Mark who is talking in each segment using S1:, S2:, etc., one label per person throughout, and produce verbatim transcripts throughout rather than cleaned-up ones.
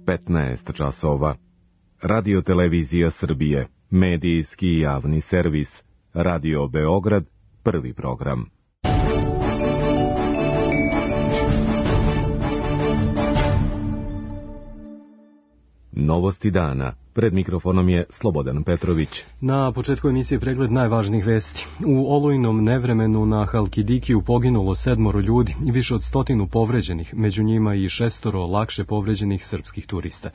S1: petnaest časova. Radio Televizija Srbije, medijski javni servis, Radio Beograd, prvi program. Novosti dana. Pred mikrofonom je Slobodan Petrović.
S2: Na početku emisije pregled najvažnijih vesti. U olujnom nevremenu na Halkidikiju poginulo sedmoro ljudi i više od stotinu povređenih, među njima i šestoro lakše povređenih srpskih turista.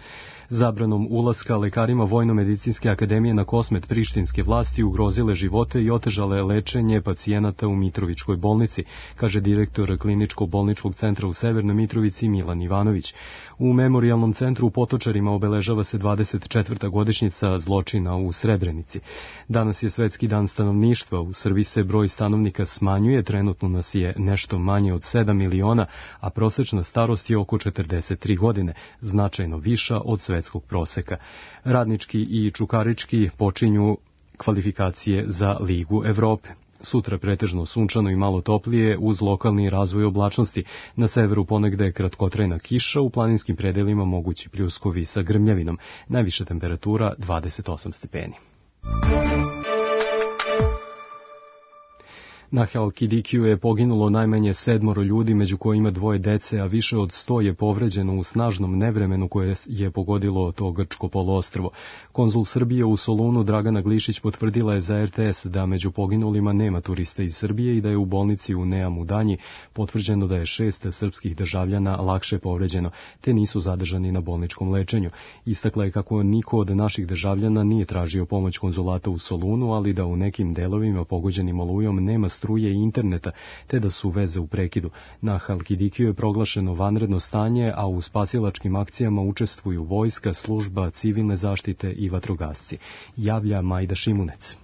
S2: Zabranom ulaska lekarima Vojno-medicinske akademije na Kosmet prištinske vlasti ugrozile živote i otežale lečenje pacijenata u Mitrovičkoj bolnici, kaže direktor kliničko-bolničkog centra u Severnoj Mitrovici Milan Ivanović. U memorijalnom centru u Potočarima obeležava se dvadeset četvrta godišnjica zločina u Srebrenici. Danas je Svetski dan stanovništva. U Srbiji se broj stanovnika smanjuje, trenutno nas je nešto manje od sedam miliona, a prosečna starost je oko četrdeset tri godine, značajno viša od svetskog proseka. Radnički i čukarički počinju kvalifikacije za Ligu Evrope. Sutra pretežno sunčano i malo toplije uz lokalni razvoj oblačnosti. Na severu ponegde kratkotrajna kiša, u planinskim predelima mogući pljuskovi sa grmljavinom. Najviša temperatura dvadeset osam stepeni. Na Halkidikiju je poginulo najmanje sedmoro ljudi, među kojima dvoje dece, a više od sto je povređeno u snažnom nevremenu koje je pogodilo to grčko poluostrvo. Konzul Srbije u Solunu Dragana Glišić potvrdila je za er te es da među poginulima nema turista iz Srbije i da je u bolnici u Neamu Danji potvrđeno da je šest srpskih državljana lakše povređeno, te nisu zadržani na bolničkom lečenju. Istakla je kako niko od naših državljana nije tražio pomoć konzulata u Solunu, ali da u nekim delovima pogođenim olujom nema struje i interneta, te da su veze u prekidu. Na Halkidikiju je proglašeno vanredno stanje, a u spasilačkim akcijama učestvuju vojska, služba civilne zaštite i vatrogasci. Javlja Majda Šimunec.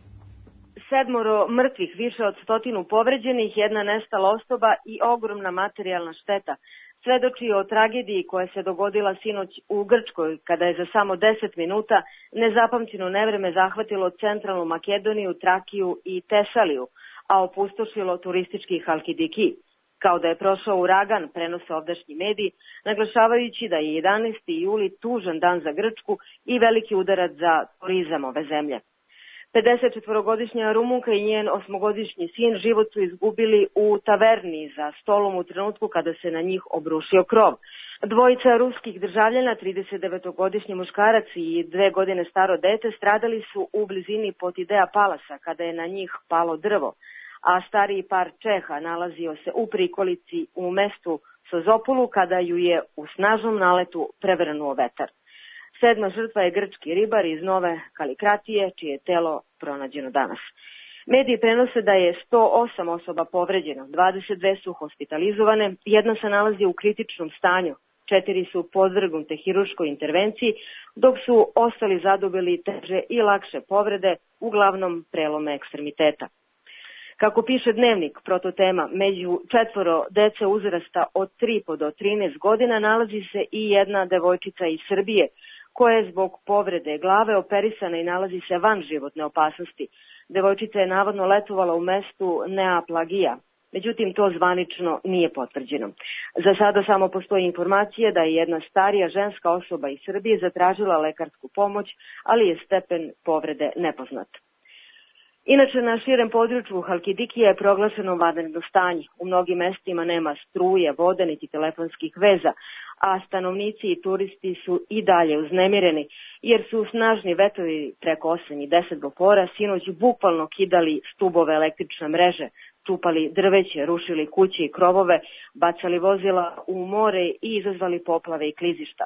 S3: Sedmoro mrtvih, više od stotinu povređenih, jedna nestala osoba i ogromna materijalna šteta. Svedoči o tragediji koja se dogodila sinoć u Grčkoj, kada je za samo deset minuta nezapamćeno nevreme zahvatilo centralnu Makedoniju, Trakiju i Tesaliju, a opustošilo turistički Halkidiki. Kao da je prošao uragan, prenose ovdašnji mediji, naglašavajući da je jedanaesti juli tužan dan za Grčku i veliki udarac za turizam ove zemlje. pedesetčetvorogodišnja Rumunka i njen osmogodišnji sin život su izgubili u taverni za stolom u trenutku kada se na njih obrušio krov. Dvojica ruskih državljana, tridesetdevetogodišnji muškarac i dve godine staro dete, stradali su u blizini Potidea Palasa kada je na njih palo drvo, a stariji par Čeha nalazio se u prikolici u mestu Sozopolu kada ju je u snažnom naletu prevrnuo vetar. Sedma žrtva je grčki ribar iz Nove Kalikratije, čije je telo pronađeno danas. Mediji prenose da je sto osam osoba povređeno, dvadeset dve su hospitalizovane, jedna se nalazi u kritičnom stanju, četiri su podvrgnute hirurškoj intervenciji, dok su ostali zadobili teže i lakše povrede, uglavnom prelome ekstremiteta. Kako piše Dnevnik, prototema, među četvoro dece uzrasta od tri do trinaest godina nalazi se i jedna devojčica iz Srbije, koja je zbog povrede glave operisana i nalazi se van životne opasnosti. Devojčica je navodno letovala u mestu Neaplagija, međutim to zvanično nije potvrđeno. Za sada samo postoji informacija da je jedna starija ženska osoba iz Srbije zatražila lekarsku pomoć, ali je stepen povrede nepoznat. Inače, na širem području Halkidikija je proglašeno vanredno stanje. U mnogim mestima nema struje, vode niti telefonskih veza, a stanovnici i turisti su i dalje uznemireni, jer su snažni vetrovi preko osam i deset bopora sinoć bukvalno kidali stubove električne mreže, čupali drveće, rušili kuće i krovove, bacali vozila u more i izazvali poplave i klizišta.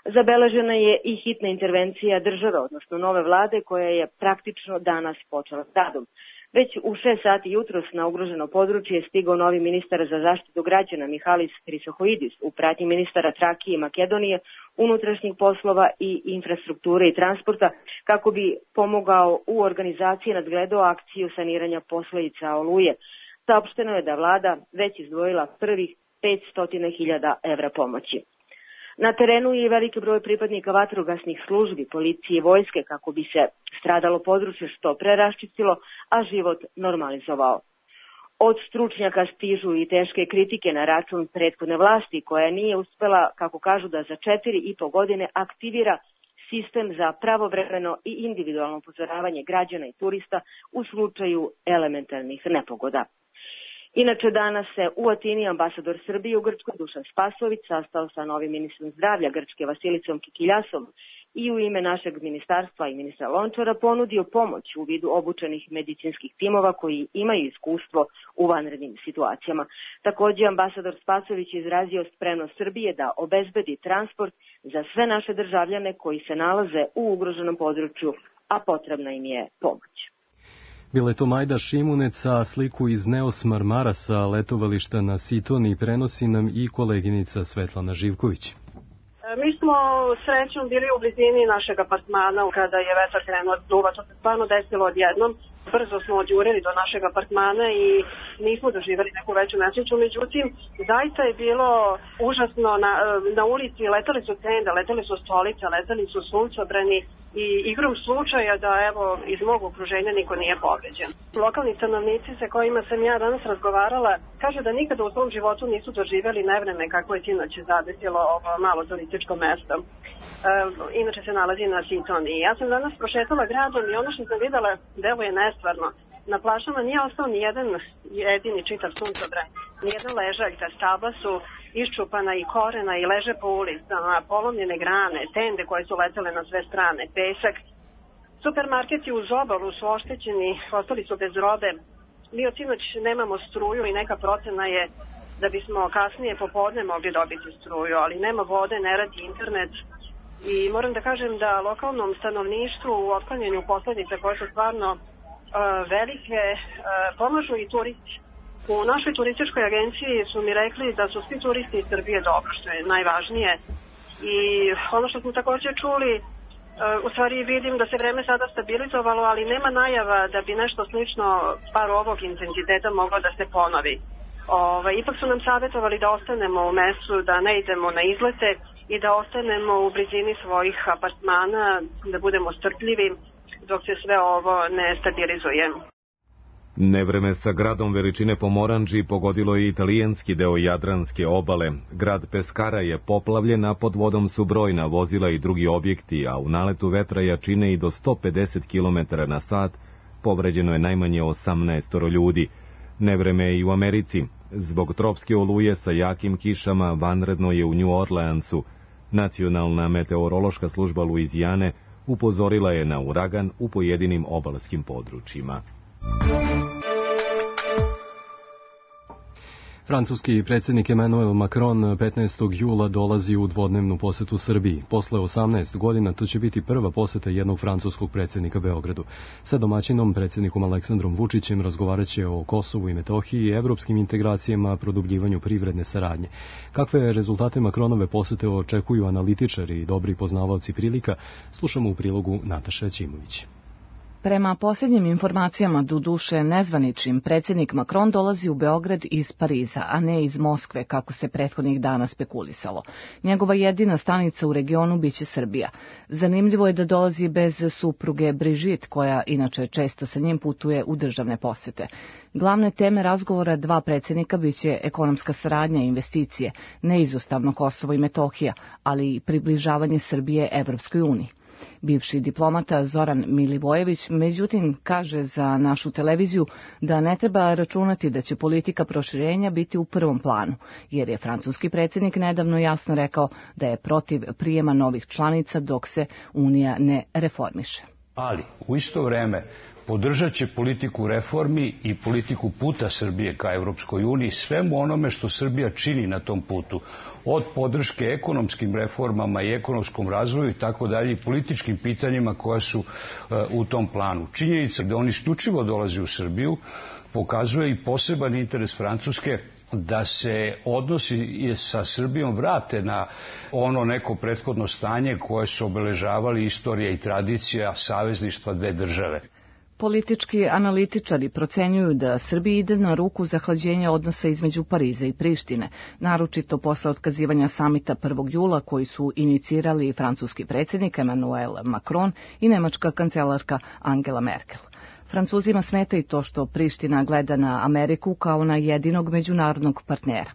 S3: Zabeležena je i hitna intervencija države, odnosno nove vlade, koja je praktično danas počela s radom. Već u šest sati jutros na ugroženo područje je stigao novi ministar za zaštitu građana Mihalis Hrisohoidis u pratnji ministara Trakije i Makedonije, unutrašnjih poslova i infrastrukture i transporta, kako bi pomogao u organizaciji i nadgledao akciju saniranja posledica oluje. Saopšteno je da vlada već izdvojila prvih petsto hiljada evra pomoći. Na terenu je i veliki broj pripadnika vatrogasnih službi, policije i vojske kako bi se stradalo područje što pre raščistilo, a život normalizovao. Od stručnjaka stižu i teške kritike na račun prethodne vlasti koja nije uspela, kako kažu, da za četiri i po godine aktivira sistem za pravovremeno i individualno upozoravanje građana i turista u slučaju elementarnih nepogoda. Inače, danas se u Atini ambasador Srbije u Grčkoj Dušan Spasović sastao sa novim ministrom zdravlja Grčke Vasilicom Kikiljasom i u ime našeg ministarstva i ministra Lončara ponudio pomoć u vidu obučenih medicinskih timova koji imaju iskustvo u vanrednim situacijama. Takođe, ambasador Spasović izrazio spremnost Srbije da obezbedi transport za sve naše državljane koji se nalaze u ugroženom području, a potrebna im je pomoć.
S2: Bila je to Majda Šimunec, a sliku iz Neos Marmara sa letovališta na Sitoni prenosi nam i koleginica Svetlana Živković.
S4: Mi smo srećom bili u blizini našeg apartmana kada je vetar krenuo da duva. To se stvarno desilo odjednom. Brzo smo odjurili do našeg apartmana i nismo doživjeli neku veću nesreću. Međutim, zaista je bilo užasno. Na, na ulici letali su tende, letali su stolice, letali su suncobrani i igrom slučaja da evo iz mog okruženja niko nije povređen. Lokalni stanovnici sa kojima sam ja danas razgovarala kaže da nikada u svom životu nisu doživjeli nevreme kako je sinoć zadesilo ovo malo turističko mesto. E, inače se nalazi na Sitoni. Ja sam danas prošetala gradom i ono što sam videla deluje nestvarno. Na plažama nije ostao ni jedan jedini čitav suncobran, ni jedna ležaljka, stabla su iščupana i korena i leže po ulicama, polomljene grane, tende koje su letele na sve strane, pesak. Supermarketi uz obalu su oštećeni, ostali su bez robe. Mi od sinoć nemamo struju i neka procena je da bismo kasnije popodne mogli dobiti struju, ali nema vode, ne radi internet. I moram da kažem da lokalnom stanovništvu u otklanjanju posledica koje su stvarno uh, velike uh, pomažu i turisti. U našoj turističkoj agenciji su mi rekli da su svi turisti iz Srbije dobro, što je najvažnije. I ono što smo također čuli, uh, u stvari vidim da se vreme sada stabilizovalo, ali nema najava da bi nešto slično par ovog intenziteta moglo da se ponovi. Ove, ipak su nam savjetovali da ostanemo u mestu, da ne idemo na izlete i da ostanemo u blizini svojih apartmana, da budemo strpljivi dok se sve ovo ne stabilizuje.
S1: Nevreme sa gradom veličine Pomoranđi pogodilo je italijanski deo Jadranske obale. Grad Peskara je poplavljen, a pod vodom su brojna vozila i drugi objekti, a u naletu vetra jačine i do sto pedeset kilometara na sat povređeno je najmanje osamnaest ljudi. Nevreme je i u Americi. Zbog tropske oluje sa jakim kišama vanredno je u New Orleansu. Nacionalna meteorološka služba Luizijane upozorila je na uragan u pojedinim obalskim područjima.
S2: Francuski predsjednik Emmanuel Macron petnaestog jula dolazi u dvodnevnu posetu Srbiji. Posle osamnaest godina to će biti prva poseta jednog francuskog predsjednika Beogradu. Sa domaćinom, predsjednikom Aleksandrom Vučićem, razgovarat će o Kosovu i Metohiji i evropskim integracijama, produbljivanju privredne saradnje. Kakve rezultate Macronove posete očekuju analitičari i dobri poznavaoci prilika, slušamo u prilogu Nataše Ćimović.
S5: Prema posljednjim informacijama, doduše nezvaničnim, predsjednik Macron dolazi u Beograd iz Pariza, a ne iz Moskve, kako se prethodnih dana spekulisalo. Njegova jedina stanica u regionu biće Srbija. Zanimljivo je da dolazi bez supruge Brigitte, koja inače često sa njim putuje u državne posete. Glavne teme razgovora dva predsjednika biće ekonomska saradnja i investicije, neizostavno Kosovo i Metohija, ali i približavanje Srbije Evropskoj uniji. Bivši diplomata Zoran Milivojević, međutim, kaže za našu televiziju da ne treba računati da će politika proširenja biti u prvom planu, jer je francuski predsjednik nedavno jasno rekao da je protiv prijema novih članica dok se Unija ne reformiše.
S6: Ali, u isto vreme, podržat će politiku reformi i politiku puta Srbije ka Evropskoj uniji, svemu onome što Srbija čini na tom putu, od podrške ekonomskim reformama i ekonomskom razvoju i tako dalje, i političkim pitanjima koja su uh, u tom planu. Činjenica da on isključivo dolazi u Srbiju pokazuje i poseban interes Francuske da se odnosi sa Srbijom vrate na ono neko prethodno stanje koje su obeležavali istorija i tradicija savezništva dve države.
S5: Politički analitičari procenjuju da Srbiji ide na ruku zahlađenja odnosa između Pariza i Prištine, naročito posle otkazivanja samita prvog jula koji su inicirali francuski predsjednik Emmanuel Macron i nemačka kancelarka Angela Merkel. Francuzima smeta i to što Priština gleda na Ameriku kao na jedinog međunarodnog partnera.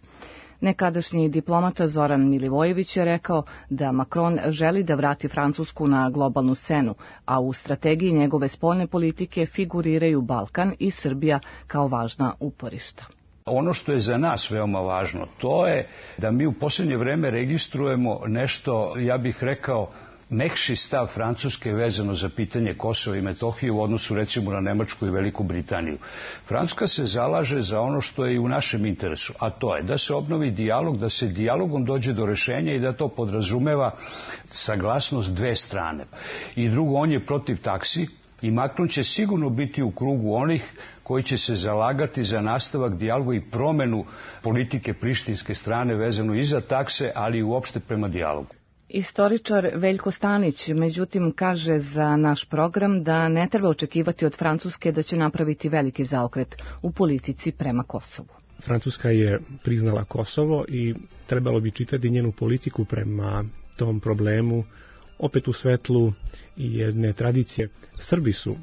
S5: Nekadašnji diplomata Zoran Milivojević je rekao da Macron želi da vrati Francusku na globalnu scenu, a u strategiji njegove spoljne politike figuriraju Balkan i Srbija kao važna uporišta.
S6: Ono što je za nas veoma važno, to je da mi u posljednje vreme registrujemo nešto, ja bih rekao, mekši stav Francuske vezano za pitanje Kosova i Metohije u odnosu recimo na Nemačku i Veliku Britaniju. Francuska se zalaže za ono što je i u našem interesu, a to je da se obnovi dijalog, da se dijalogom dođe do rešenja i da to podrazumeva saglasnost dve strane. I drugo, on je protiv taksi i Macron će sigurno biti u krugu onih koji će se zalagati za nastavak dijaloga i promenu politike prištinske strane vezano i za takse, ali i uopšte prema dijalogu.
S5: Istoričar Veljko Stanić, međutim, kaže za naš program da ne treba očekivati od Francuske da će napraviti veliki zaokret u politici prema Kosovu.
S7: Francuska je priznala Kosovo i trebalo bi čitati njenu politiku prema tom problemu opet u svetlu jedne tradicije. Srbi su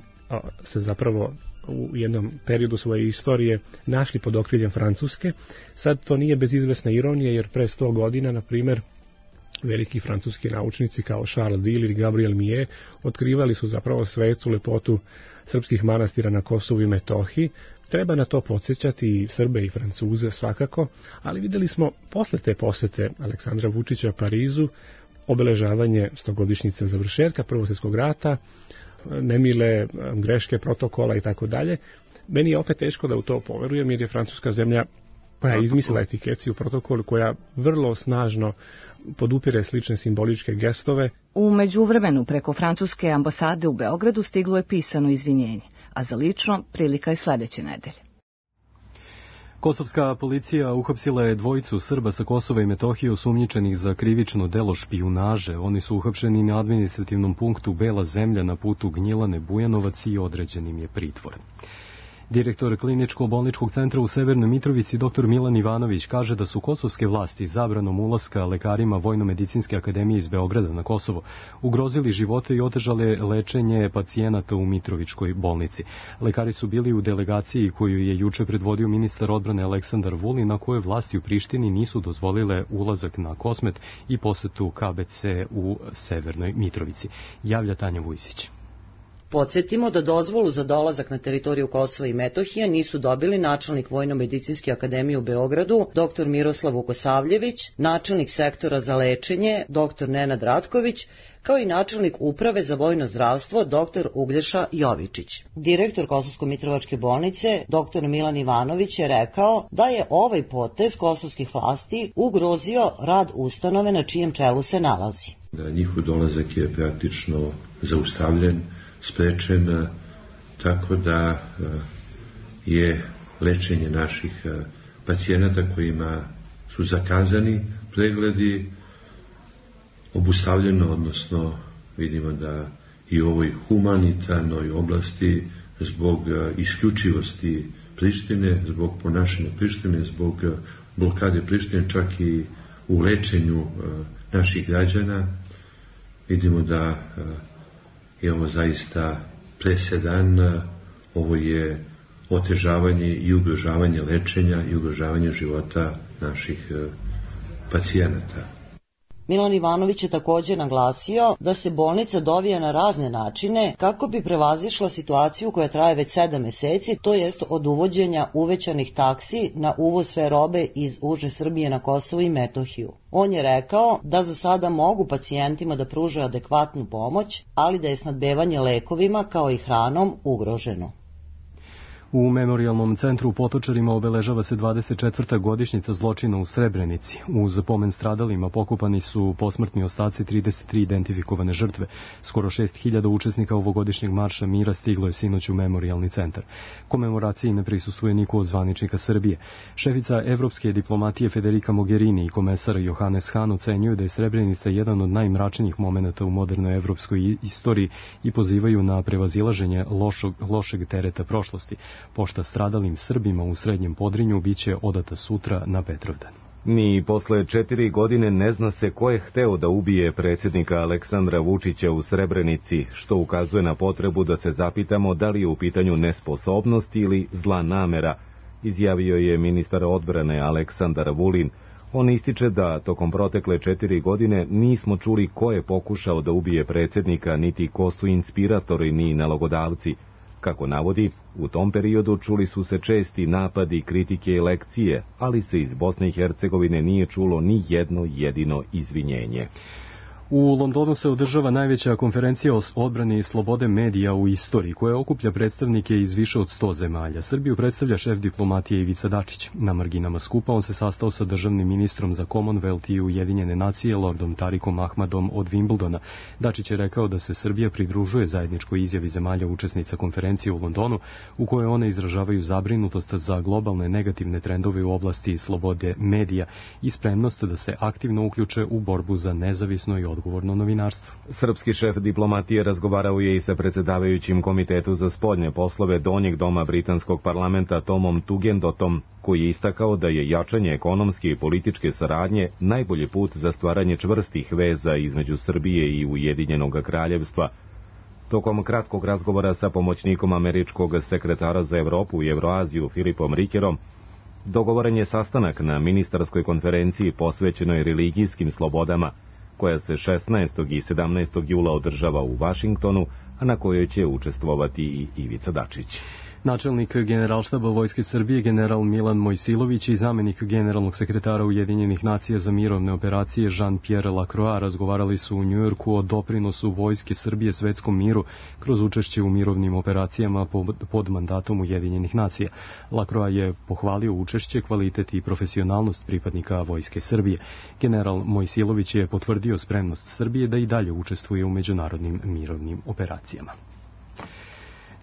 S7: se zapravo u jednom periodu svoje istorije našli pod okriljem Francuske. Sad to nije bez izvesne ironije, jer pre sto godina, na primjer, veliki francuski naučnici kao Charles Dille ili Gabriel Millet otkrivali su zapravo svetu lepotu srpskih manastira na Kosovu i Metohiji. Treba na to podsjećati i Srbe i Francuze svakako, ali videli smo posle te posete Aleksandra Vučića Parizu obeležavanje stogodišnjice završetka Prvog svjetskog rata, nemile greške protokola i tako dalje. Meni je opet teško da u to poverujem, jer je Francuska zemlja koja je izmislila etikeciju protokolu, koja vrlo snažno podupire slične simboličke gestove.
S5: U međuvremenu preko francuske ambasade u Beogradu stiglo je pisano izvinjenje, a za lično prilika je sledeće nedelje.
S2: Kosovska policija uhapsila je dvojicu Srba sa Kosova i Metohije osumnjičenih za krivično delo špijunaže. Oni su uhapšeni na administrativnom punktu Bela zemlja na putu Gnjilane Bujanovac i određen im je pritvor. Direktor kliničko-bolničkog centra u Severnoj Mitrovici dr Milan Ivanović kaže da su kosovske vlasti zabranom ulaska lekarima Vojno-medicinske akademije iz Beograda na Kosovo ugrozili živote i otežale lečenje pacijenata u Mitrovičkoj bolnici. Lekari su bili u delegaciji koju je juče predvodio ministar odbrane Aleksandar Vulin, na kojoj vlasti u Prištini nisu dozvolile ulazak na Kosmet i posetu K B C u Severnoj Mitrovici. Javlja Tanja Vujsić.
S8: Podsjetimo da dozvolu za dolazak na teritoriju Kosova i Metohije nisu dobili načelnik Vojno-medicinske akademije u Beogradu, dr Miroslav Vukosavljević, načelnik sektora za lečenje, dr Nenad Ratković, kao i načelnik uprave za vojno zdravstvo, dr Uglješa Jovičić. Direktor Kosovsko-Mitrovačke bolnice, dr Milan Ivanović, je rekao da je ovaj potez kosovskih vlasti ugrozio rad ustanove na čijem čelu se nalazi.
S9: Da njihov dolazak je praktično zaustavljen, sprečen, tako da je lečenje naših pacijenata kojima su zakazani pregledi obustavljeno, odnosno vidimo da i u ovoj humanitarnoj oblasti zbog isključivosti Prištine, zbog ponašanja Prištine, zbog blokade Prištine, čak i u lečenju naših građana, vidimo da je ovo zaista presedan, ovo je otežavanje i ugrožavanje lečenja i ugrožavanje života naših pacijenata.
S8: Milan Ivanović je također naglasio da se bolnica dovija na razne načine kako bi prevazišla situaciju koja traje već sedam meseci, to jest od uvođenja uvećanih taksi na uvoz sve robe iz uže Srbije na Kosovo i Metohiju. On je rekao da za sada mogu pacijentima da pruže adekvatnu pomoć, ali da je snabdevanje lekovima kao i hranom ugroženo.
S2: U Memorijalnom centru u Potočarima obeležava se dvadeset četvrta godišnjica zločina u Srebrenici. Uz pomen stradalima pokopani su posmrtni ostaci trideset tri identifikovane žrtve. Skoro šest hiljada učesnika ovogodišnjeg marša mira stiglo je sinoć u Memorijalni centar. Komemoraciji ne prisustvuje niko od zvaničnika Srbije. Šefica evropske diplomatije Federica Mogherini i komesar Johannes Hahn ocenjuju da je Srebrenica jedan od najmračnijih momenata u modernoj evropskoj istoriji i pozivaju na prevazilaženje lošog, lošeg tereta prošlosti. Pošta stradalim Srbima u Srednjem Podrinju biće odata sutra na Petrovdan.
S1: Ni posle četiri godine ne zna se ko je hteo da ubije predsjednika Aleksandra Vučića u Srebrenici, što ukazuje na potrebu da se zapitamo da li je u pitanju nesposobnost ili zla namera, izjavio je ministar odbrane Aleksandar Vulin. On ističe da tokom protekle četiri godine nismo čuli ko je pokušao da ubije predsjednika, niti ko su inspiratori ni nalogodavci. Kako navodi, u tom periodu čuli su se česti napadi, kritike i lekcije, ali se iz Bosne i Hercegovine nije čulo ni jedno jedino izvinjenje.
S2: U Londonu se održava najveća konferencija o odbrani i slobode medija u istoriji, koja okuplja predstavnike iz više od sto zemalja. Srbiju predstavlja šef diplomatije Ivica Dačić. Na marginama skupa on se sastao sa državnim ministrom za Commonwealth i Ujedinjene nacije, lordom Tarikom Ahmadom od Wimbledona. Dačić je rekao da se Srbija pridružuje zajedničkoj izjavi zemalja učesnica konferencije u Londonu, u kojoj one izražavaju zabrinutost za globalne negativne trendove u oblasti slobode medija i spremnost da se aktivno uključe u borbu za nezavisno i odgovorno novinarstvo.
S1: Srpski šef diplomatije razgovarao je i sa predsjedavajućim Komitetu za spoljne poslove Donjeg doma britanskog parlamenta Tomom Tugendotom, koji je istakao da je jačanje ekonomske i političke saradnje najbolji put za stvaranje čvrstih veza između Srbije i Ujedinjenog kraljevstva. Tokom kratkog razgovora sa pomoćnikom američkog sekretara za Evropu i Evroaziju Filipom Rikerom, dogovoren je sastanak na ministarskoj konferenciji posvećenoj religijskim slobodama, koja se šesnaestog i sedamnaestog jula održava u Vašingtonu, a na kojoj će učestvovati i Ivica Dačić.
S2: Načelnik Generalštaba Vojske Srbije general Milan Mojsilović i zamenik generalnog sekretara Ujedinjenih nacija za mirovne operacije Jean-Pierre Lacroix razgovarali su u Njujorku o doprinosu Vojske Srbije svetskom miru kroz učešće u mirovnim operacijama pod mandatom Ujedinjenih nacija. Lacroix je pohvalio učešće, kvalitet i profesionalnost pripadnika Vojske Srbije. General Mojsilović je potvrdio spremnost Srbije da i dalje učestvuje u međunarodnim mirovnim operacijama.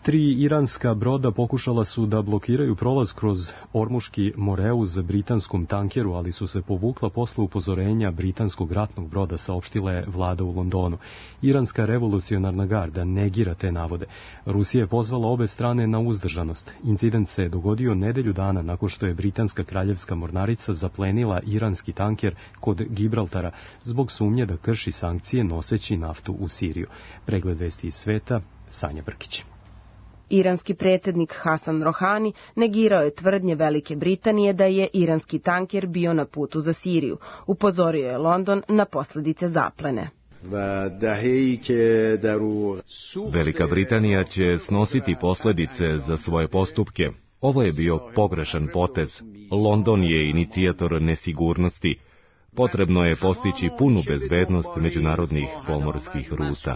S2: Tri iranska broda pokušala su da blokiraju prolaz kroz Ormuški Moreuz britanskom tankeru, ali su se povukla posle upozorenja britanskog ratnog broda, saopštila je vlada u Londonu. Iranska revolucionarna garda negira te navode. Rusija je pozvala obe strane na uzdržanost. Incident se dogodio nedelju dana nakon što je britanska kraljevska mornarica zaplenila iranski tanker kod Gibraltara zbog sumnje da krši sankcije noseći naftu u Siriju. Pregled vesti iz sveta, Sanja Brkić.
S10: Iranski predsjednik Hasan Rohani negirao je tvrdnje Velike Britanije da je iranski tanker bio na putu za Siriju. Upozorio je London na posljedice zaplene.
S1: Velika Britanija će snositi posljedice za svoje postupke. Ovo je bio pogrešan potez. London je inicijator nesigurnosti. Potrebno je postići punu bezbednost međunarodnih pomorskih ruta.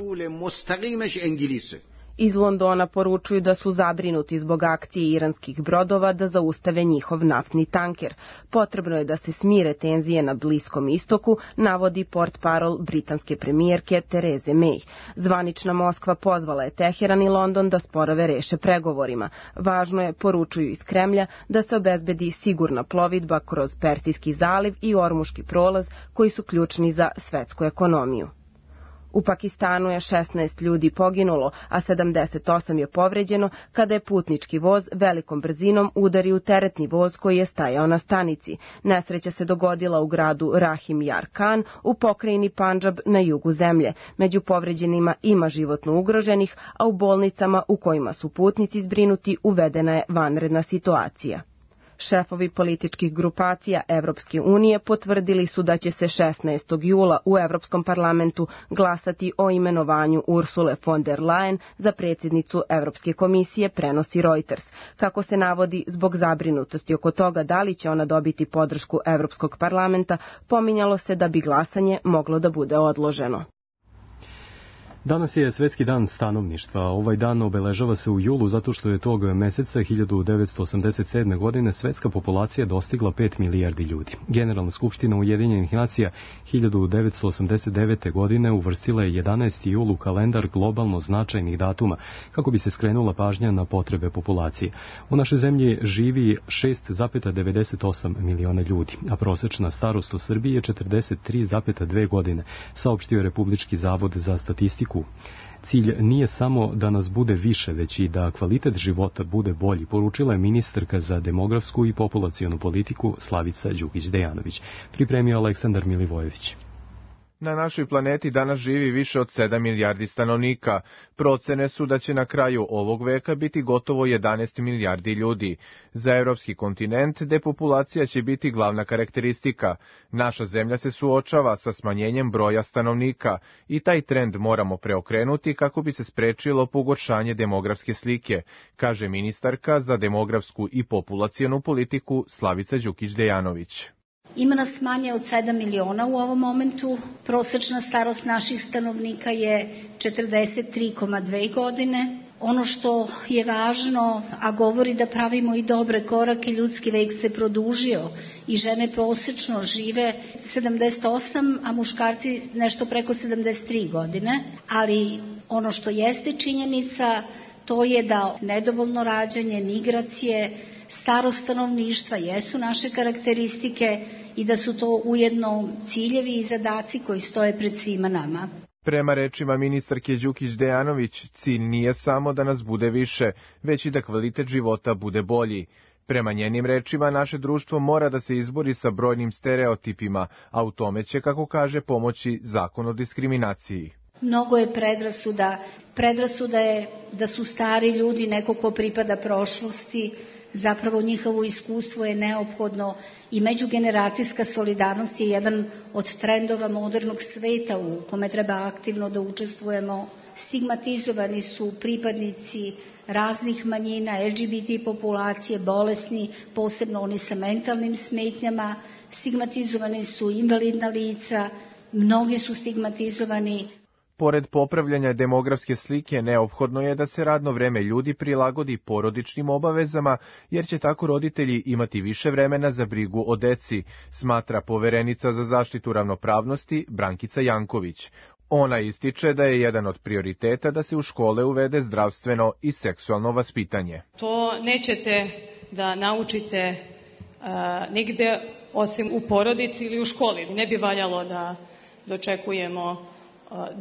S10: Iz Londona poručuju da su zabrinuti zbog akcije iranskih brodova da zaustave njihov naftni tanker. Potrebno je da se smire tenzije na Bliskom istoku, navodi portparol britanske premijerke Tereze May. Zvanična Moskva pozvala je Teheran i London da sporove reše pregovorima. Važno je, poručuju iz Kremlja, da se obezbedi sigurna plovidba kroz Persijski zaliv i Ormuški prolaz, koji su ključni za svetsku ekonomiju. U Pakistanu je šesnaest ljudi poginulo, a sedamdeset osam je povređeno kada je putnički voz velikom brzinom udario u teretni voz koji je stajao na stanici. Nesreća se dogodila u gradu Rahim Yar Khan u pokrajini Pandžab na jugu zemlje. Među povređenima ima životno ugroženih, a u bolnicama u kojima su putnici zbrinuti uvedena je vanredna situacija. Šefovi političkih grupacija Evropske unije potvrdili su da će se šesnaestog jula u Evropskom parlamentu glasati o imenovanju Ursule von der Leyen za predsjednicu Evropske komisije, prenosi Reuters. Kako se navodi, zbog zabrinutosti oko toga da li će ona dobiti podršku Evropskog parlamenta, pominjalo se da bi glasanje moglo da bude odloženo.
S2: Danas je Svetski dan stanovništva. Ovaj dan obeležava se u julu zato što je tog meseca hiljadu devetsto osamdeset sedme. godine svetska populacija dostigla pet milijardi ljudi. Generalna skupština Ujedinjenih nacija hiljadu devetsto osamdeset devete. godine uvrstila je jedanaesti jul u kalendar globalno značajnih datuma kako bi se skrenula pažnja na potrebe populacije. U našoj zemlji živi šest zarez devedeset osam miliona ljudi, a prosečna starost u Srbiji je četrdeset tri zarez dve godine, saopštio je Republički zavod za statistiku politiku. Cilj nije samo da nas bude više, već i da kvalitet života bude bolji, poručila je ministarka za demografsku i populacionu politiku Slavica Đukić-Dejanović. Pripremio Aleksandar Milivojević.
S11: Na našoj planeti danas živi više od sedam milijardi stanovnika. Procene su da će na kraju ovog veka biti gotovo jedanaest milijardi ljudi. Za evropski kontinent depopulacija će biti glavna karakteristika. Naša zemlja se suočava sa smanjenjem broja stanovnika i taj trend moramo preokrenuti kako bi se sprečilo pogoršanje demografske slike, kaže ministarka za demografsku i populacionu politiku Slavica Đukić-Dejanović.
S12: Ima nas manje od sedam miliona u ovom momentu. Prosečna starost naših stanovnika je četrdeset tri zarez dve godine. Ono što je važno, a govori da pravimo i dobre korake, ljudski vek se produžio i žene prosečno žive sedamdeset osam, a muškarci nešto preko sedamdeset tri godine. Ali ono što jeste činjenica, to je da nedovoljno rađanje, migracije, starost stanovništva jesu naše karakteristike i da su to ujedno ciljevi i zadaci koji stoje pred svima nama.
S11: Prema rečima ministarke Đukić-Dejanović, cilj nije samo da nas bude više, već i da kvalitet života bude bolji. Prema njenim rečima, naše društvo mora da se izbori sa brojnim stereotipima, a u tome će, kako kaže, pomoći zakon o diskriminaciji.
S12: Mnogo je predrasuda. Predrasuda je da su stari ljudi neko ko pripada prošlosti, zapravo njihovo iskustvo je neophodno i međugeneracijska solidarnost je jedan od trendova modernog sveta u kome treba aktivno da učestvujemo. Stigmatizovani su pripadnici raznih manjina, L G B T populacije, bolesni, posebno oni sa mentalnim smetnjama, stigmatizovani su invalidna lica, mnogi su stigmatizovani.
S11: Pored popravljanja demografske slike, neophodno je da se radno vreme ljudi prilagodi porodičnim obavezama, jer će tako roditelji imati više vremena za brigu o deci, smatra poverenica za zaštitu ravnopravnosti Brankica Janković. Ona ističe da je jedan od prioriteta da se u škole uvede zdravstveno i seksualno vaspitanje.
S13: To nećete da naučite a, nigde osim u porodici ili u školi. Ne bi valjalo da dočekujemo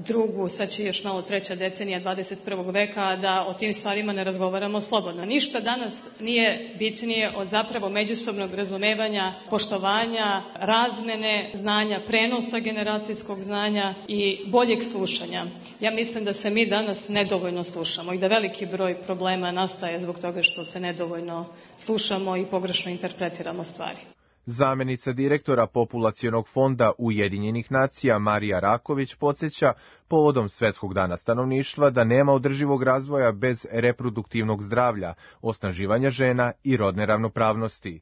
S13: drugu, sad će još malo treća decenija dvadeset prvog veka, da o tim stvarima ne razgovaramo slobodno. Ništa danas nije bitnije od zapravo međusobnog razumevanja, poštovanja, razmene znanja, prenosa generacijskog znanja i boljeg slušanja. Ja mislim da se mi danas nedovoljno slušamo i da veliki broj problema nastaje zbog toga što se nedovoljno slušamo i pogrešno interpretiramo stvari.
S11: Zamenica direktora Populacionog fonda Ujedinjenih nacija Marija Raković podsjeća povodom Svetskog dana stanovništva da nema održivog razvoja bez reproduktivnog zdravlja, osnaživanja žena i rodne ravnopravnosti.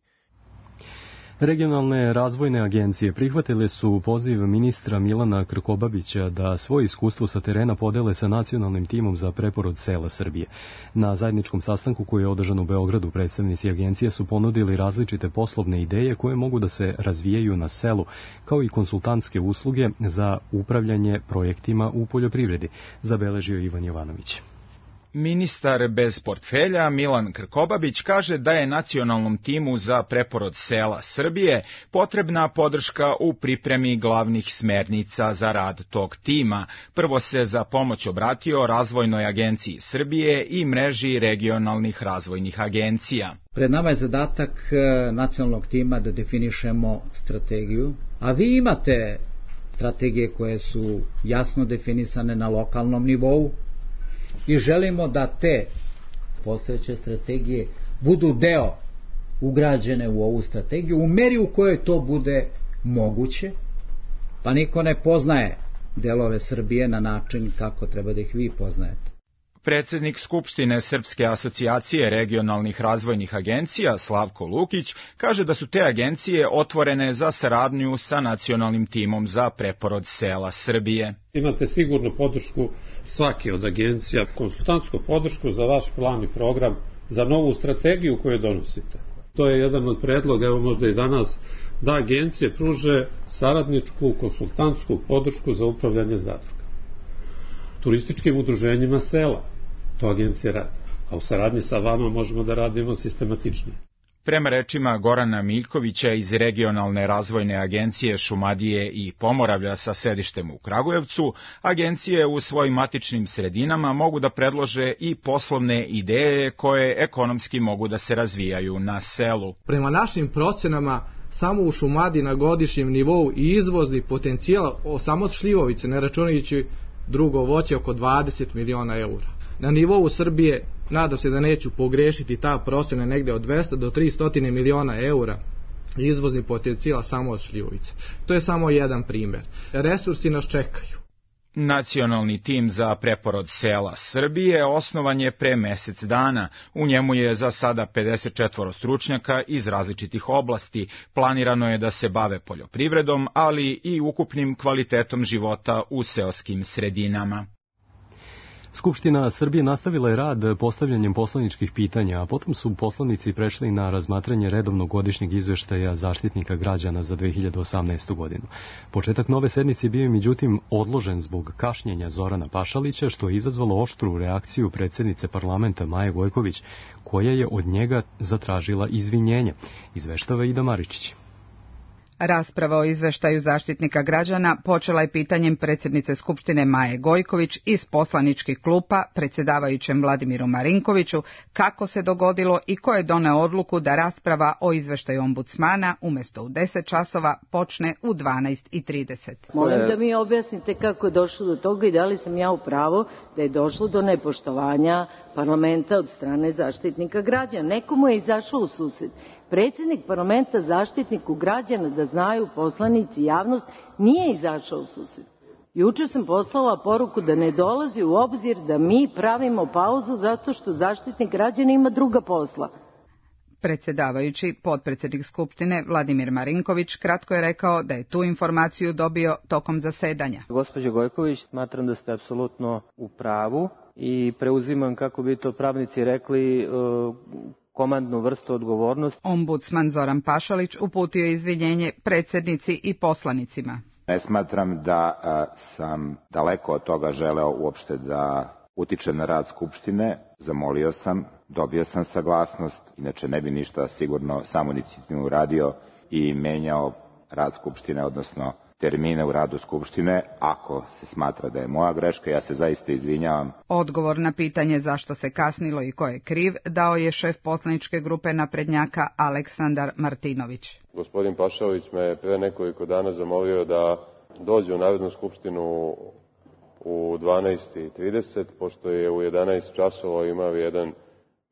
S2: Regionalne razvojne agencije prihvatile su poziv ministra Milana Krkobabića da svoje iskustvo sa terena podele sa nacionalnim timom za preporod sela Srbije. Na zajedničkom sastanku koji je održan u Beogradu, predstavnici agencije su ponudili različite poslovne ideje koje mogu da se razvijaju na selu, kao i konsultantske usluge za upravljanje projektima u poljoprivredi, zabeležio Ivan Jovanović.
S14: Ministar bez portfelja Milan Krkobabić kaže da je nacionalnom timu za preporod sela Srbije potrebna podrška u pripremi glavnih smernica za rad tog tima. Prvo se za pomoć obratio Razvojnoj agenciji Srbije i mreži regionalnih razvojnih agencija.
S15: Pred nama je zadatak nacionalnog tima da definišemo strategiju, a vi imate strategije koje su jasno definisane na lokalnom nivou, i želimo da te postojeće strategije budu deo ugrađene u ovu strategiju u meri u kojoj to bude moguće, pa niko ne poznaje delove Srbije na način kako treba da ih vi poznajete.
S14: Predsednik Skupštine Srpske asocijacije regionalnih razvojnih agencija Slavko Lukić kaže da su te agencije otvorene za saradnju sa nacionalnim timom za preporod sela Srbije.
S16: Imate sigurno podršku svake od agencija, konsultantsku podršku za vaš plan i program, za novu strategiju koju donosite. To je jedan od predloga, evo možda i danas, da agencije pruže saradničku konsultantsku podršku za upravljanje zadruga. Turističkim udruženjima sela, to agencije rade, a u saradnji sa vama možemo da radimo sistematičnije.
S14: Prema rečima Gorana Miljkovića iz Regionalne razvojne agencije Šumadije i Pomoravlja sa sedištem u Kragujevcu, agencije u svojim matičnim sredinama mogu da predlože i poslovne ideje koje ekonomski mogu da se razvijaju na selu.
S17: Prema našim procenama, samo u Šumadiji na godišnjem nivou i izvozni potencijal samo od šljivovice, ne računajući drugo voće, oko dvadeset miliona eura. Na nivou Srbije, nadam se da neću pogrešiti, ta procena negde od dvesta do trista miliona eura izvozni potencijal samo od šljivovice. To je samo jedan primer. Resursi nas čekaju.
S14: Nacionalni tim za preporod sela Srbije osnovan je pre mesec dana. U njemu je za sada pedeset četvoro stručnjaka iz različitih oblasti. Planirano je da se bave poljoprivredom, ali i ukupnim kvalitetom života u seoskim sredinama.
S2: Skupština Srbije nastavila je rad postavljanjem poslaničkih pitanja, a potom su poslanici prešli na razmatranje redovnog godišnjeg izveštaja Zaštitnika građana za dve hiljade osamnaestu. godinu. Početak nove sednice bio je međutim odložen zbog kašnjenja Zorana Pašalića, što je izazvalo oštru reakciju predsjednice parlamenta Maje Gojković, koja je od njega zatražila izvinjenje. Izveštava Ida Maričić.
S18: Rasprava o izveštaju Zaštitnika građana počela je pitanjem predsjednice Skupštine Maje Gojković iz poslaničkih klupa predsjedavajućem Vladimiru Marinkoviću kako se dogodilo i ko je doneo odluku da rasprava o izveštaju ombudsmana umjesto u deset časova počne u dvanaest i trideset.
S19: Molim da mi objasnite kako je došlo do toga i da li sam ja u pravu da je došlo do nepoštovanja parlamenta od strane Zaštitnika građana. Nekomu je izašao u susret. Predsjednik parlamenta Zaštitniku građana, da znaju poslanici i javnost, nije izašao u susret. Juče sam poslala poruku da ne dolazi u obzir da mi pravimo pauzu zato što Zaštitnik građana ima druga posla.
S18: Predsjedavajući, potpredsjednik Skupštine Vladimir Marinković kratko je rekao da je tu informaciju dobio tokom zasedanja.
S20: Gospođo Gojković, smatram da ste apsolutno u pravu i preuzimam, kako bi to pravnici rekli, komandnu vrstu odgovornosti.
S18: Ombudsman Zoran Pašalić uputio izvinjenje predsjednici i poslanicima.
S21: Ne smatram da a, sam daleko od toga želeo uopšte da utičem na rad Skupštine. Zamolio sam, dobio sam saglasnost, inače ne bi ništa sigurno samoinicijativno uradio i menjao rad Skupštine, odnosno termine u radu Skupštine. Ako se smatra da je moja greška, ja se zaista izvinjavam.
S18: Odgovor na pitanje zašto se kasnilo i ko je kriv dao je šef poslaničke grupe naprednjaka Aleksandar Martinović.
S22: Gospodin Pašalić me pre nekoliko dana zamolio da dođe u Narodnu skupštinu u dvanaest i trideset, pošto je u jedanaest časova imao jedan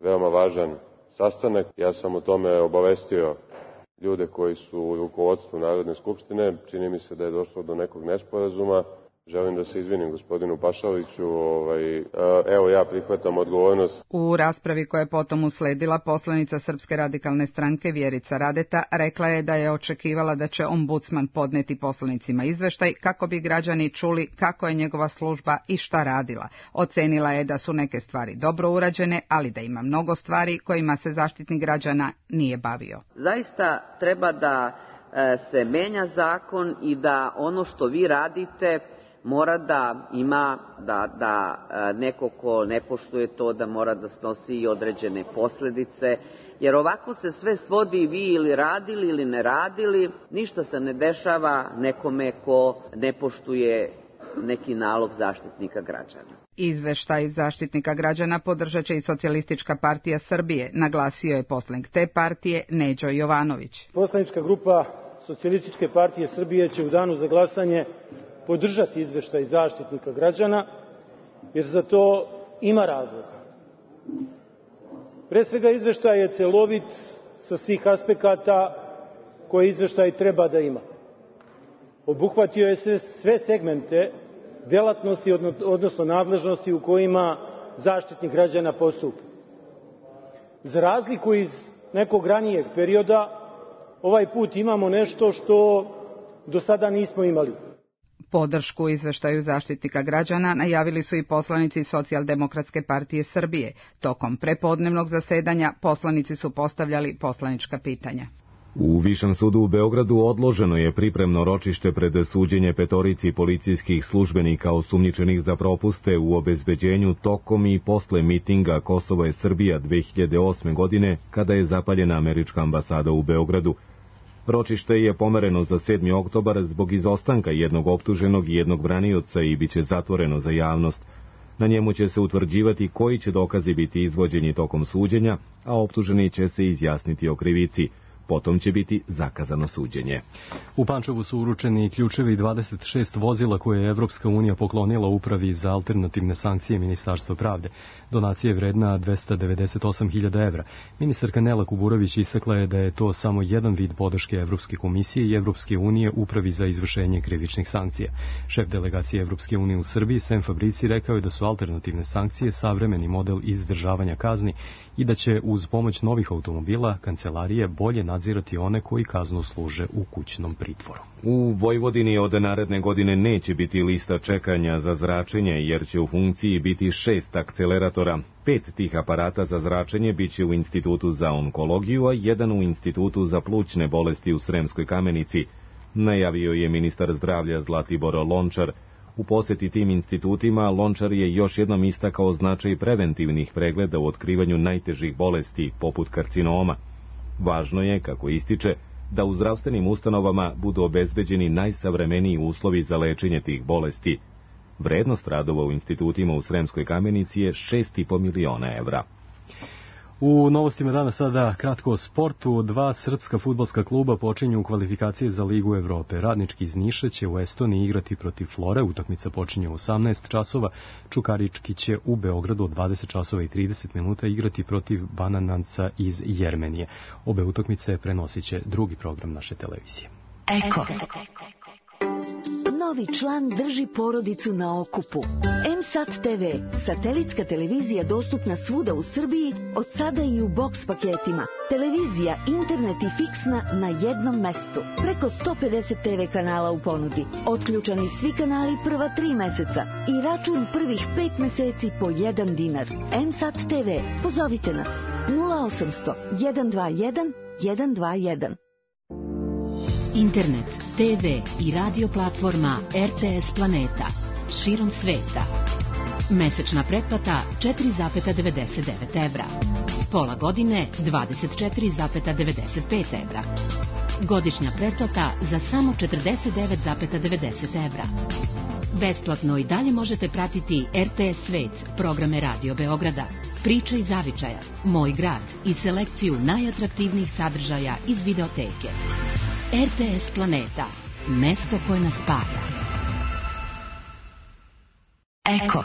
S22: veoma važan sastanak. Ja sam o tome obavestio ljude koji su u rukovodstvu Narodne skupštine. Čini mi se da je došlo do nekog nesporazuma. Želim da se izvinim gospodinu Pašaliću. Ovaj, evo, ja prihvatam odgovornost.
S18: U raspravi koja je potom usledila, poslanica Srpske radikalne stranke Vjerica Radeta rekla je da je očekivala da će ombudsman podneti poslanicima izveštaj kako bi građani čuli kako je njegova služba i šta radila. Ocenila je da su neke stvari dobro urađene, ali da ima mnogo stvari kojima se Zaštitnik građana nije bavio.
S23: Zaista treba da se menja zakon i da ono što vi radite mora da ima, da, da neko ko ne poštuje to, da mora da snosi i određene posljedice, jer ovako se sve svodi vi ili radili ili ne radili, ništa se ne dešava nekome ko ne poštuje neki nalog Zaštitnika građana.
S18: Izveštaj Zaštitnika građana podržat će i Socijalistička partija Srbije, naglasio je poslanik te partije Neđo Jovanović.
S24: Poslanička grupa Socijalističke partije Srbije će u danu za glasanje podržati izveštaj Zaštitnika građana, jer za to ima razloga. Pre svega, izveštaj je celovit sa svih aspekata koje izveštaj treba da ima. Obuhvatio je sve segmente delatnosti, odnosno nadležnosti u kojima Zaštitnik građana postupa. Za razliku iz nekog ranijeg perioda, ovaj put imamo nešto što do sada nismo imali.
S18: Podršku izveštaju Zaštitnika građana najavili su i poslanici Socijaldemokratske partije Srbije. Tokom prepodnevnog zasedanja poslanici su postavljali poslanička pitanja.
S1: U Višem sudu u Beogradu odloženo je pripremno ročište pred suđenje petorici policijskih službenika osumnjičenih za propuste u obezbeđenju tokom i posle mitinga Kosovo je Srbija dve hiljade osme. godine, kada je zapaljena američka ambasada u Beogradu. Ročište je pomereno za sedmi oktobar zbog izostanka jednog optuženog i jednog branioca i biće zatvoreno za javnost. Na njemu će se utvrđivati koji će dokazi biti izvođeni tokom suđenja, a optuženi će se izjasniti o krivici. Potom će biti zakazano suđenje.
S2: U Pančevu su uručeni ključevi dvadeset šest vozila koje je Evropska unija poklonila Upravi za alternativne sankcije Ministarstva pravde. Donacija je vredna dvesta devedeset osam hiljada evra. Ministarka Nela Kuburović istakla je da je to samo jedan vid podrške Evropske komisije i Evropske unije Upravi za izvršenje krivičnih sankcija. Šef delegacije Evropske unije u Srbiji, Sem Fabrici, rekao je da su alternativne sankcije savremeni model izdržavanja kazni i da će uz pomoć novih automobila kancelarije bolje nadzirati one koji kaznu služe u kućnom pritvoru.
S1: U Vojvodini od naredne godine neće biti lista čekanja za zračenje, jer će u funkciji biti šest akceleratora. Pet tih aparata za zračenje biće u Institutu za onkologiju, a jedan u Institutu za plućne bolesti u Sremskoj Kamenici, najavio je ministar zdravlja Zlatibor Lončar. U poseti tim institutima Lončar je još jednom istakao značaj preventivnih pregleda u otkrivanju najtežih bolesti, poput karcinoma. Važno je, kako ističe, da u zdravstvenim ustanovama budu obezbeđeni najsavremeniji uslovi za lečenje tih bolesti. Vrednost radova u institutima u Sremskoj Kamenici je šest i po miliona evra.
S2: U novostima dana sada kratko o sportu. Dva srpska fudbalska kluba počinju kvalifikacije za Ligu Evrope. Radnički iz Niša će u Estoniji igrati protiv Flore, utakmica počinje u osamnaest časova. Čukarički će u Beogradu od dvadeset časova i trideset minuta igrati protiv Banananca iz Jermenije. Obe utakmice prenosit će drugi program naše televizije.
S3: Eko. Novi član drži porodicu na okupu. M S A T T V, satelitska televizija dostupna svuda u Srbiji, od sada i u boks paketima. Televizija, internet i fiksna na jednom mestu. Preko sto pedeset te ve kanala u ponudi. Otključani svi kanali prva tri meseca i račun prvih pet meseci po jedan dinar. M S A T T V, pozovite nas nula osamsto jedan dva jedan jedan dva jedan.
S4: Internet, te ve i radio platforma R T S Planeta širom sveta. Mesečna pretplata četiri zarez devedeset devet evra. Pola godine dvadeset četiri zarez devedeset pet evra. Godišnja pretplata za samo četrdeset devet zarez devedeset evra. Besplatno i dalje možete pratiti R T S Svet, programe Radio Beograda, Priče iz Zavičaja, Moj grad i selekciju najatraktivnijih sadržaja iz videoteke. R T S Planeta, mesto koje nas spaja.
S3: Eko.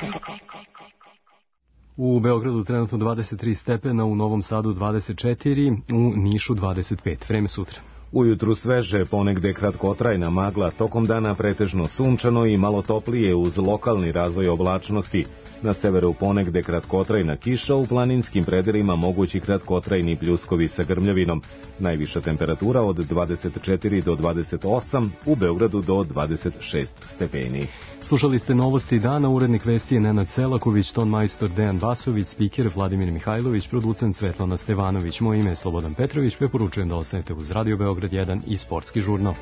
S2: U Beogradu trenutno dvadeset tri stepena, u Novom Sadu dvadeset četiri, u Nišu dvadeset pet. Vreme sutra.
S1: Ujutru sveže, ponegde kratkotrajna magla, tokom dana pretežno sunčano i malo toplije uz lokalni razvoj oblačnosti. Na severu ponegde kratkotrajna kiša, u planinskim predelima mogući kratkotrajni pljuskovi sa grmljavinom. Najviša temperatura od dvadeset četiri do dvadeset osam, u Beogradu do dvadeset šest stepeni.
S2: Slušali ste novosti dana, urednik vesti je Nenad Selaković, ton majstor Dejan Vasović, spiker Vladimir Mihajlović, producent Svetlana Stevanović. Moje ime je Slobodan Petrović, preporučujem da ostanete uz Radio Beograd jedan i sportski žurnal.